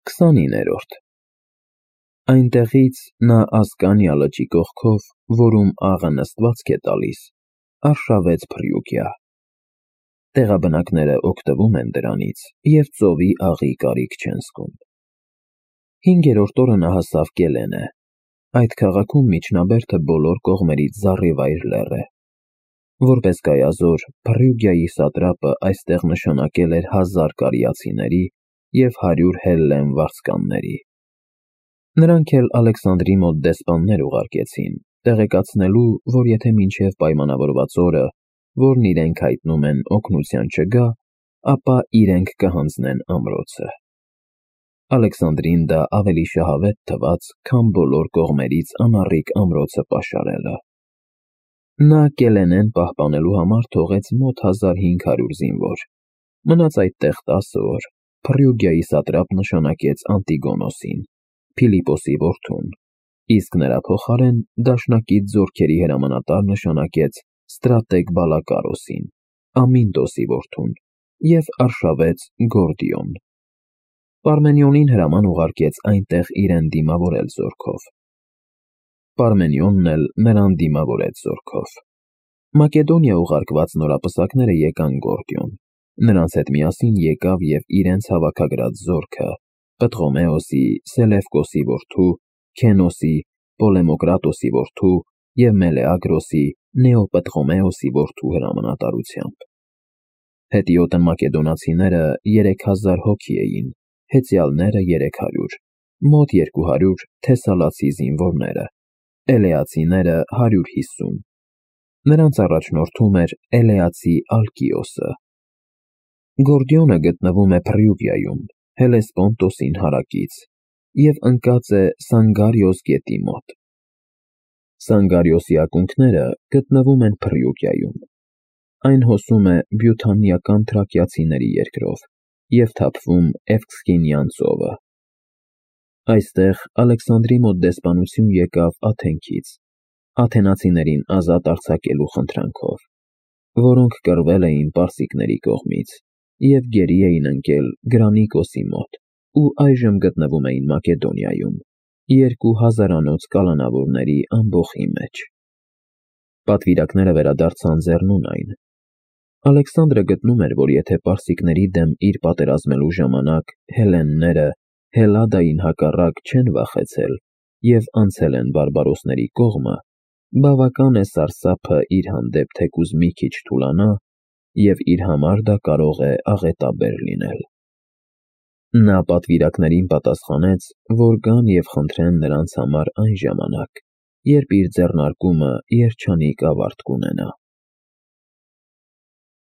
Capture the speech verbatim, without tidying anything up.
քսանիններորդ Այնտեղից նա Ասկանիա լճի կողքով, որում աղը նստվածք է տալիս, արշավեց Փրիուգյա. տեղաբնակները օգտվում են դրանից և ծովի աղի կարիք չեն զգում։ Հինգերորդ օրը նա հասավ Կելենե. այդ քաղաքում միջնաբերդը բոլոր կողմերից զառիվայր լեռ է։ Որպես գայազոր, Փրիուգյայի սատրապը այստեղ նշանակել էր հազար կարիացիների և հարյուր հելլեն վարձկանների։ Նրանք էլ Ալեքսանդրի մոտ դեսպաններ ուղարկեցին, տեղեկացնելու, որ եթե մինչև պայմանավորված օրը, որն իրենք հայտնում են, օգնության չգա, ապա իրենք կհանձնեն ամրոցը։ Ալեքսանդրին դա ավելի շահավետ թվաց, քան բոլոր կողմերից անառիկ ամրոցը պաշարելը։ Նա Կելենեն պահպանելու համար թողեց մոտ հազար հինգ հարյուր զինվոր, մնաց այդտեղ տասը օր, Փրիուգյայի սատրապ նշանակեց Անտիգոնոսին, Փիլիպոսի որդուն, իսկ նրա փոխարեն դաշնակից զորքերի հրամանատար նշանակեց ստրատեգ Բալակարոսին, Ամինտոսի որդուն, և արշավեց Գորդիոն։ Պարմենիոնին հրաման ուղարկեց այնտեղ իրեն դիմավորել զորքով։ Պարմենիոնն էլ նրան դիմավորեց զորքով։ Մակեդոնիա ուղարկված նորապսակները եկան Գորդիոն, նրանց հետ միասին եկավ և իրենց հավաքագրած զորքը՝ Պտղոմեոսի, Սելևկոսի որդու, Քենոսի, Պոլեմոկրատոսի որդու և Մելեագրոսի, Նեոպտղոմեոսի որդու հրամանատարությամբ։ Հետիոտն մակեդոնացիները երեք հազար հոգի էին, հեծյալները երեք հարյուր, մոտ երկու հարյուր թեսալացի զինվորները, էլեացիները հարյուր հիսուն։ Նրանց առաջնորդում էր էլեացի Ալկիոսը։ Գորդիոնը գտնվում է Փրիուգյայում, Հելեսպոնտոսին հարակից, և ընկած է Սանգարիոս գետի մոտ։ Սանգարիոսի ակունքները գտնվում են Փրիուգյայում։ Այն հոսում է բյութանիական թրակիացիների երկրով և թափվում Էվքսինյան ծովը։ Այստեղ Ալեքսանդրի մոտ դեսպանություն եկավ Աթենքից, աթենացիներին ազատ արձակելու խնդրանքով, որոնք կռվել էին պարսիկների կողմից և գերի էին ընկել Գրանիկոսի մոտ ու այժմ գտնվում էին Մակեդոնիայում, երկու հազարանոց կալանավորների ամբոխի մեջ։ Պատվիրակները վերադարձան ձեռնունայն։ Ալեքսանդրը գտնում էր, որ եթե պարսիկների դեմ իր պատերազմելու ժամանակ հելլենները Հելադային հակառակ չեն վախեցել և անցել են բարբարոսների կողմը, բավական է Սարսափը իր հանդեպ թեկուզ մի քիչ թուլանա, և իր համար դա կարող է աղետաբեր լինել։ Նա պատվիրակներին պատասխանեց, որ գան և խնդրեն նրանց համար այն ժամանակ, երբ իր ձեռնարկումը երջանիկ ավարտ կունենա։